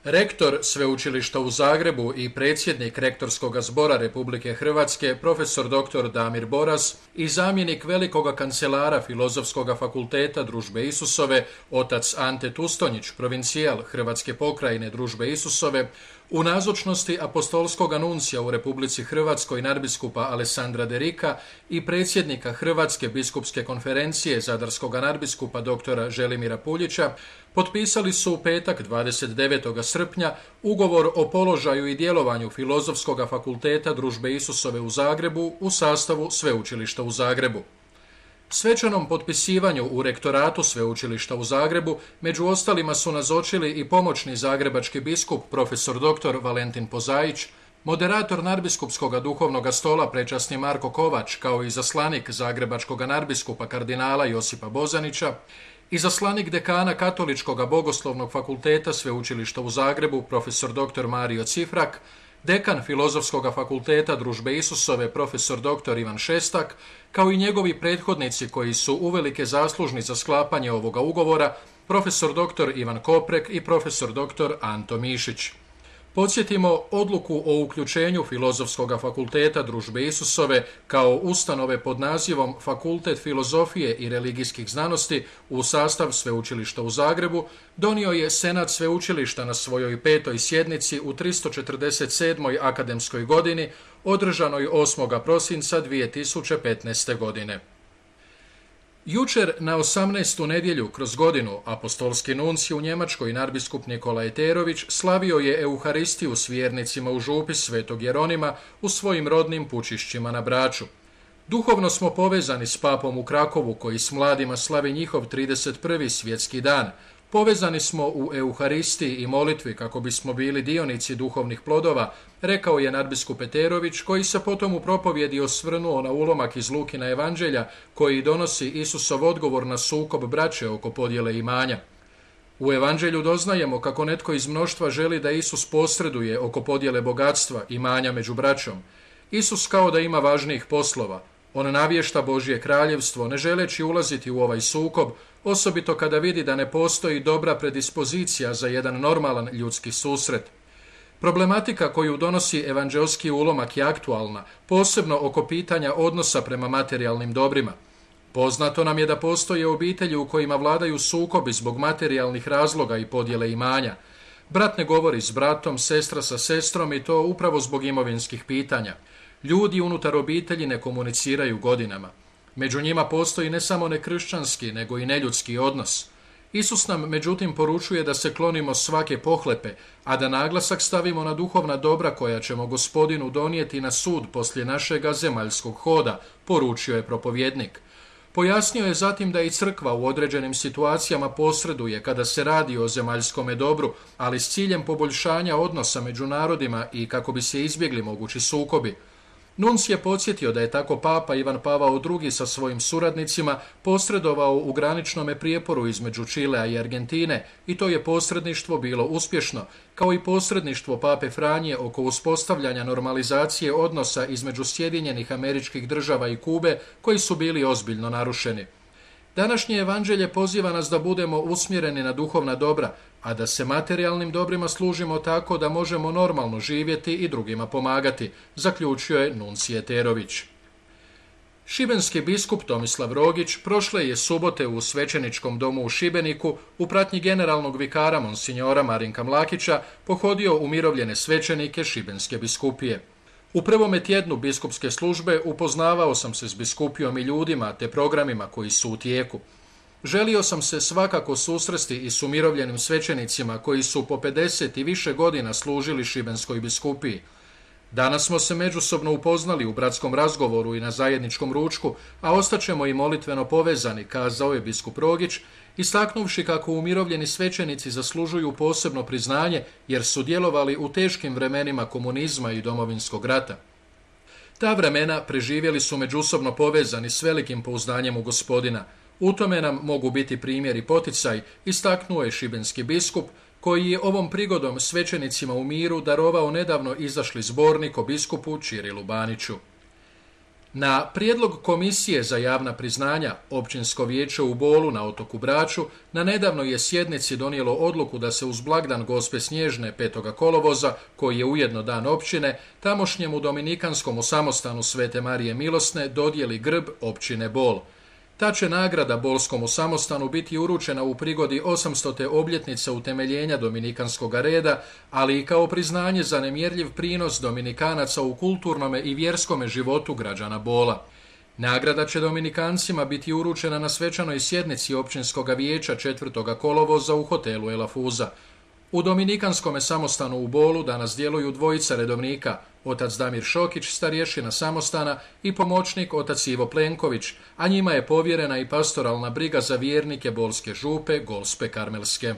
Rektor Sveučilišta u Zagrebu i predsjednik Rektorskog zbora Republike Hrvatske, profesor dr. Damir Boras i zamjenik velikoga kancelara Filozofskog fakulteta Družbe Isusove, otac Ante Tustonjić, provincijal Hrvatske pokrajine Družbe Isusove, u nazočnosti apostolskog nuncija u Republici Hrvatskoj nadbiskupa Alessandra Derika i predsjednika Hrvatske biskupske konferencije zadarskog nadbiskupa dr. Želimira Puljića, potpisali su u petak 29. srpnja ugovor o položaju i djelovanju Filozofskog fakulteta Družbe Isusove u Zagrebu u sastavu Sveučilišta u Zagrebu. Svečanom potpisivanju u rektoratu Sveučilišta u Zagrebu među ostalima su nazočili i pomoćni zagrebački biskup profesor dr. Valentin Pozaić, moderator nadbiskupskog duhovnog stola prečasni Marko Kovač, kao i zaslanik zagrebačkog nadbiskupa kardinala Josipa Bozanića, izaslanik dekana Katoličkog bogoslovnog fakulteta Sveučilišta u Zagrebu profesor dr. Mario Cifrak, dekan Filozofskog fakulteta Družbe Isusove profesor dr. Ivan Šestak, kao i njegovi prethodnici koji su uvelike zaslužni za sklapanje ovoga ugovora, profesor dr. Ivan Koprek i profesor dr. Anto Mišić. Podsjetimo, odluku o uključenju Filozofskog fakulteta Družbe Isusove kao ustanove pod nazivom Fakultet filozofije i religijskih znanosti u sastav Sveučilišta u Zagrebu donio je Senat Sveučilišta na svojoj 5. sjednici u 347. akademskoj godini, održanoj 8. prosinca 2015. godine. Jučer na 18. nedjelju kroz godinu apostolski nuncij u Njemačkoj nadbiskup Nikola Eterović slavio je Euharistiju s vjernicima u župi Svetog Jeronima u svojim rodnim Pučišćima na Braču. Duhovno smo povezani s papom u Krakovu koji s mladima slavi njihov 31. svjetski dan. Povezani smo u Euharistiji i molitvi kako bismo bili dionici duhovnih plodova, rekao je nadbiskup Eterović, koji se potom u propovjedi osvrnuo na ulomak iz Lukina evanđelja koji donosi Isusov odgovor na sukob braće oko podjele imanja. U evanđelju doznajemo kako netko iz mnoštva želi da Isus posreduje oko podjele bogatstva imanja među braćom. Isus kao da ima važnijih poslova. On navješta Božje kraljevstvo, ne želeći ulaziti u ovaj sukob, osobito kada vidi da ne postoji dobra predispozicija za jedan normalan ljudski susret. Problematika koju donosi evanđelski ulomak je aktualna, posebno oko pitanja odnosa prema materijalnim dobrima. Poznato nam je da postoje obitelji u kojima vladaju sukobi zbog materijalnih razloga i podjele imanja. Brat ne govori s bratom, sestra sa sestrom i to upravo zbog imovinskih pitanja. Ljudi unutar obitelji ne komuniciraju godinama. Među njima postoji ne samo nekršćanski, nego i neljudski odnos. Isus nam međutim poručuje da se klonimo svake pohlepe, a da naglasak stavimo na duhovna dobra koja ćemo Gospodinu donijeti na sud poslije našega zemaljskog hoda, poručio je propovjednik. Pojasnio je zatim da i crkva u određenim situacijama posreduje kada se radi o zemaljskome dobru, ali s ciljem poboljšanja odnosa među narodima i kako bi se izbjegli mogući sukobi. Nunc je podsjetio da je tako papa Ivan Pavao II sa svojim suradnicima posredovao u graničnome prijeporu između Čilea i Argentine i to je posredništvo bilo uspješno, kao i posredništvo pape Franje oko uspostavljanja normalizacije odnosa između Sjedinjenih Američkih Država i Kube koji su bili ozbiljno narušeni. Današnje evanđelje poziva nas da budemo usmjereni na duhovna dobra, a da se materijalnim dobrima služimo tako da možemo normalno živjeti i drugima pomagati, zaključio je nuncij Eterović. Šibenski biskup Tomislav Rogić prošle je subote u svećeničkom domu u Šibeniku u pratnji generalnog vikara monsinjora Marinka Mlakića pohodio umirovljene svećenike Šibenske biskupije. U prvome tjednu biskupske službe upoznavao sam se s biskupijom i ljudima te programima koji su u tijeku. Želio sam se svakako susresti i s umirovljenim svećenicima koji su po 50 i više godina služili Šibenskoj biskupiji. Danas smo se međusobno upoznali u bratskom razgovoru i na zajedničkom ručku, a ostaćemo i molitveno povezani, kazao je biskup Rogić, istaknuvši kako umirovljeni svećenici zaslužuju posebno priznanje jer su djelovali u teškim vremenima komunizma i domovinskog rata. Ta vremena preživjeli su međusobno povezani s velikim pouzdanjem u Gospodina. U tome nam mogu biti primjer i poticaj, istaknuo je šibenski biskup, koji je ovom prigodom svećenicima u miru darovao nedavno izašli zbornik o biskupu Čirilu Baniću. Na prijedlog Komisije za javna priznanja, Općinsko vijeće u Bolu na otoku Braču na nedavnoj je sjednici donijelo odluku da se uz blagdan Gospe Snježne 5. kolovoza, koji je ujedno dan općine, tamošnjemu dominikanskom samostanu Svete Marije Milosne dodijeli grb općine Bol. Ta će nagrada Bolskom samostanu biti uručena u prigodi 800. obljetnice utemeljenja dominikanskog reda, ali i kao priznanje za nemjerljiv prinos dominikanaca u kulturnome i vjerskome životu građana Bola. Nagrada će dominikancima biti uručena na svečanoj sjednici Općinskog vijeća 4. kolovoza u hotelu Elafuza. U Dominikanskom samostanu u Bolu danas djeluju dvojica redovnika, otac Damir Šokić, starješina samostana, i pomoćnik otac Ivo Plenković, a njima je povjerena i pastoralna briga za vjernike Bolske župe Gospe Karmelske.